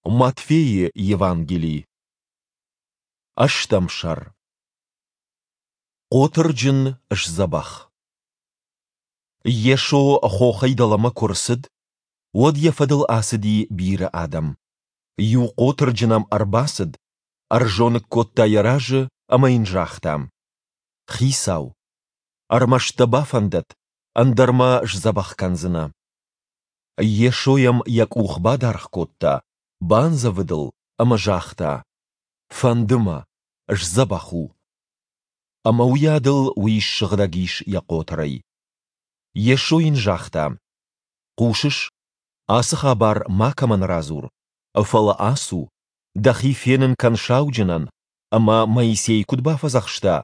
Матфейы Евангели. Ӕстӕм сӕр. Хъотырджын сдзӕбӕх. Йесо хохӕй дӕлӕмӕ куы рцыд, уӕд йӕ фӕдыл ацыди бирӕ адӕм. Иу хъотырджын ӕм ӕрбацыд, ӕрзоныг кодта йӕ разы ӕмӕ йын загъта: Хицау, ӕрмӕст дӕ бафӕндӕд, ӕндӕр мӕ сдзӕбӕх кӕндзынӕ. Йесо йӕм йӕ къух бадаргъ кодта, бандзӕвыд ыл ӕмӕ загъта: Фӕнды мӕ, сдзӕбӕх у. Ӕмӕ уыйадыл уый ссыгъдӕг ис йӕ хъотырӕй. Йесо йын загъта: Хъусыс, ацы хабар макӕмӕн радзур, фӕлӕ ацу, дӕхи фенын кӕн сауджынӕн, ӕмӕ Моисей куыд бафӕдзӕхста,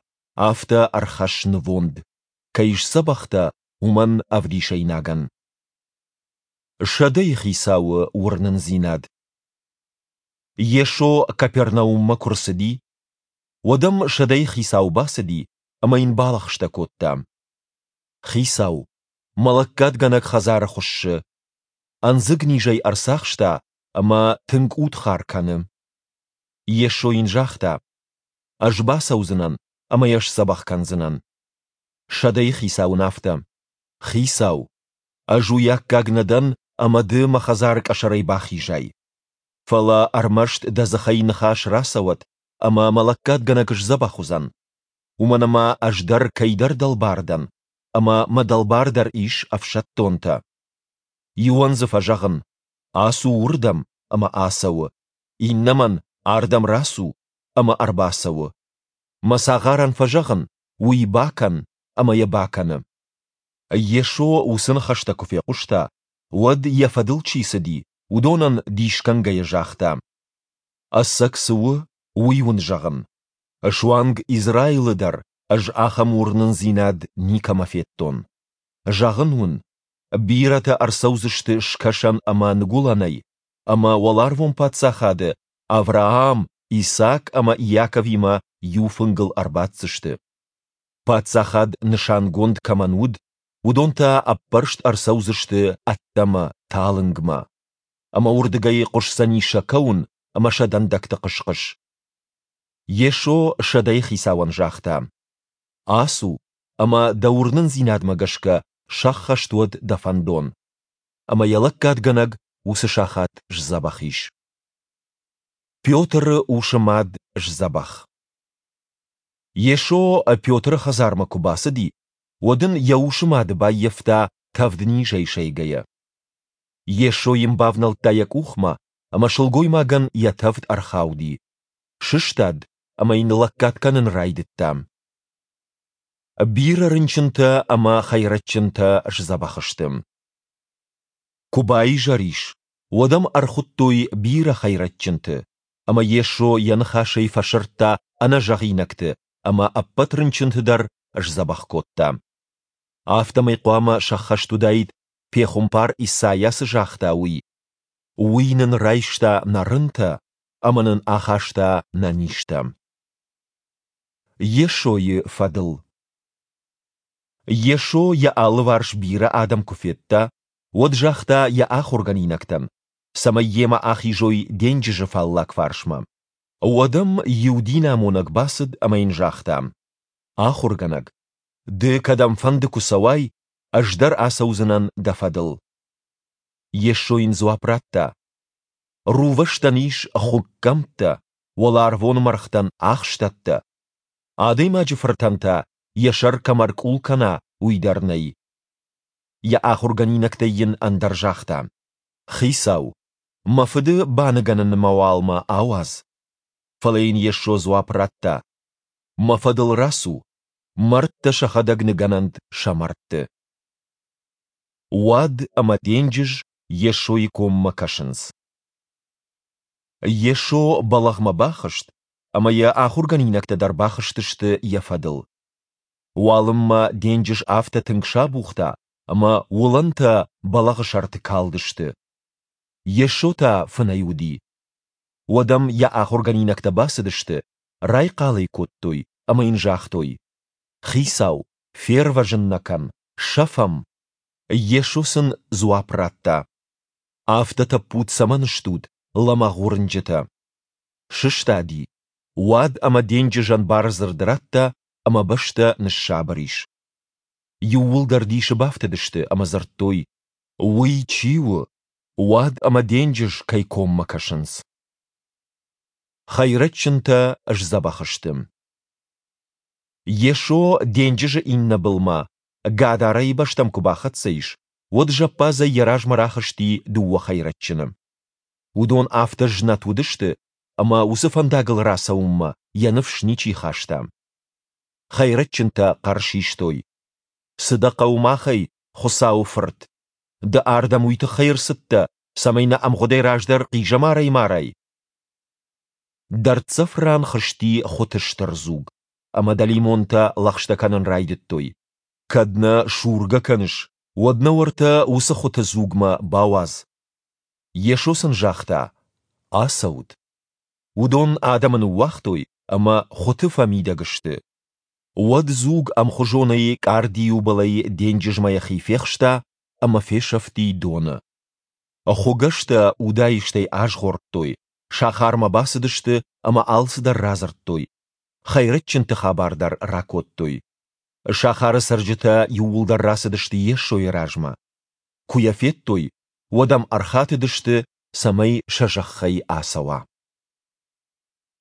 афтӕ ӕрхӕсс нывонд, кӕй сдзӕбӕх дӕ, уымӕн ӕвдисӕйнагӕн. Сӕдӕйы хицауы уырнындзинад. Йесо Капернауммӕ куы рцыди, уӕд ӕм сӕдӕйы хицау бацыди ӕмӕ йын балӕгъстӕ кодта: Хицау, мӕ лӕггадгӕнӕг хӕдзары хуыссы. Ӕндзыг низӕй ӕрцахста ӕмӕ тынг удхар кӕны. Йесо йын загъта: Ӕз бацӕудзынӕн ӕмӕ йӕ сдзӕбӕх кӕндзынӕн. Сӕдӕйы хицау ын афтӕ: Хицау, ӕз уый аккаг нӕ дӕн, ӕмӕ ды мӕ хӕдзары къӕсӕрӕй бахизай. Фӕлӕ ӕрмӕст дӕ дзыхӕй ныхас рацӕуӕд, ӕмӕ мӕ лӕггадгӕнӕг сдзӕбӕх уыдзӕн. Уымӕн ӕмӕ ӕз дӕр кӕйдӕр дӕлбар дӕн, ӕмӕ мӕ дӕлбар дӕр ис ӕфсӕддонтӕ. Иуӕн дзы фӕзӕгъын, ацу уырдӕм, ӕмӕ ацӕуы, иннӕмӕн, ардӕм рацу, ӕмӕ ӕрбацӕуы. Мӕ цагъарӕн фӕзӕгъын, уый бакӕн, ӕмӕ йӕ бакӕны. Йесо уыцы ныхӕстӕ куы фехъуыста, уӕд, йӕ фӕдыл чи цыди, уыдонӕн дисгӕнгӕйӕ загъта: Ӕцӕг цы у, уый уын зӕгъын. Суанг Израилы дӕр ӕз ахӕм уырнындзинад никӕмӕ федтон. Зӕгъын уын, бирӕтӕ ӕрцӕудзысты скӕсӕн ӕмӕ ныгуылӕнӕй, ӕмӕ уӕларвон паддзахады Авраам, Исаак ӕмӕ Иаковимӕ иу фынгыл ӕрбаддзысты. Паддзахад нысангонд кӕмӕн уыд, уыдон та ӕппӕрст ӕрцӕудзысты ӕддӕмӕ, талынгмӕ. Ӕмӕ уырдыгӕй хъуысдзӕни сӕ кӕуын ӕмӕ сӕ дӕндӕгты хъыс-хъыс. Йесо сӕдӕйы хицауӕн загъта: Ацу, ӕмӕ дӕ уырнындзинадмӕ гӕсгӕ сӕххӕст уӕд дӕ фӕндон. Ӕмӕ йӕ лӕггадгӕнӕг уыцы сахат сдзӕбӕх ис. Петры усы мад сдзӕбӕх. Йесо Петры хӕдзармӕ куы бацыди, уӕд ын йӕ усы мады баййӕфта тӕвднизӕй сӕйгӕйӕ. Йесо йын бавнӕлдта йӕ къухмӕ, ӕмӕ сылгоймагӕн йӕ тӕвд ӕрхауди. Сыстад ӕмӕ йын лӕггад кӕнын райдыдта. Бирӕ рынчынтӕ ӕмӕ хӕйрӕджджынтӕ сдзӕбӕх сты. Куы баизӕр ис, уӕд ӕм ӕрхуыдтой бирӕ хӕйрӕджджынты, ӕмӕ Йесо йӕ ныхасӕй фӕсырдта ӕнӕзӕгъинӕгты ӕмӕ ӕппӕт рынчынты дӕр сдзӕбӕх кодта. Афтӕмӕй хъуамӕ сӕххӕст уыдаид, пехуымпар Исайа цы загъта, уый: Уый нын райста нӕ рынтӕ ӕмӕ нын ахаста нӕ низтӕ. Йесойы фӕдыл Йесо йӕ алыварс бирӕ адӕм куы федта, уӕд загъта йӕ ахуыргӕнинӕгтӕн, цӕмӕй йемӕ ахизой денджызы фаллаг фарсмӕ. Уӕд ӕм иу динамонӕг бацыд ӕмӕ йын загъта: Ахуыргӕнӕг, ды кӕдӕмфӕнды куы цӕуай, ӕз дӕр ацӕудзынӕн дӕ фӕдыл. Йесо йын дзуапп радта: Рувӕстӕн ис хуыггӕмттӕ, уӕларвон мӕргътӕн ахстӕттӕ. Адӕймаджы фыртӕн та йӕ сӕр кӕм ӕркъул кӕна, уый дӕр нӕй. Йӕ ахуыргӕнинӕгтӕй йын ӕндӕр загъта: Хицау, мӕ фыды баныгӕнынмӕ уал мӕ ауадз. Фӕлӕ йын Йесо дзуапп радта: Мӕ фӕдыл рацу, мӕрдтӕ сӕхӕдӕг ныгӕнӕнт сӕ мӕрдты. Уад ӕмӕ денджыз Йесойы коммӕ кӕсынц. Йесо бӕлӕгъмӕ бахызт, ӕмӕ йӕ ахуыргӕнинӕгтӕ дӕр бахызтысты йӕ фӕдыл. Уалынмӕ денджыз афтӕ тынг сабухта, ӕмӕ уылӕнтӕ бӕлӕгъы сӕрты калдысты. Йесо та фынӕй уыди. Уӕд ӕм йӕ ахуыргӕнинӕгтӕ бацыдысты, райхъал ӕй кодтой ӕмӕ йын загътой: Хицау, фервӕзын нӕ кӕн, сӕфӕм! Йесо сын дзуапп радта: Афтӕ тӕппуд цӕмӕн стут, лӕмӕгъ уырнджытӕ! Сыстади, уад ӕмӕ денджызӕн бардзырд радта, ӕмӕ бӕстӕ ныссабыр ис. Иууылдӕр дисы бафтыдысты ӕмӕ дзырдтой, Уый чи у, уад ӕмӕ денджыз кӕй коммӕ кӕсынц? Хӕйрӕджджынтӕ сдзӕбӕх сты. Йесо денджызы иннӕ былмӕ, Гадарӕйы бӕстӕм куы бахӕццӕ ис, уӕд зӕппадзӕй йӕ размӕ рахызти дыууӕ хӕйрӕджджыны. Уыдон афтӕ знӕт уыдысты, ӕмӕ уыцы фӕндагыл рацӕуынмӕ йӕ ныфс ничи хаста. Хӕйрӕджджынтӕ хъӕр систой: Цы дӕ хъӕуы махӕй, Хуыцауы Фырт? Ды ардӕм уый тыххӕй ӕрцыдтӕ, цӕмӕй нӕ ӕмгъуыдӕй раздӕр хъизӕмарӕй марай? Дӕрддзӕф ран хызти хуыты стыр дзуг, ӕмӕ дӕлимонтӕ лӕгъстӕ кӕнын райдыдтой: Кӕд нӕ сургӕ кӕныс, уӕд нӕ уӕртӕ уыцы хуыты дзугмӕ бауадз. Йесо сын загъта: Ацӕут. Уыдон адӕмы ныууагътой ӕмӕ хуыты фӕмидӕг сты. Уӕд дзуг ӕмхуызонӕй къардиуы былӕй денджызмӕ йӕхи фехста ӕмӕ фесӕфти доны. Хуыгӕстӕ удаистӕй азгъордтой, сахармӕ бацыдысты ӕмӕ алцыдӕр радзырдтой, хӕйрӕджджынты хабар дӕр ракодтой. Сахары цӕрджытӕ иууылдӕр рацыдысты Йесойы размӕ. Куы йӕ федтой, уӕд ӕм ӕрхатыдысты, цӕмӕй сӕ зӕххӕй ацӕуа.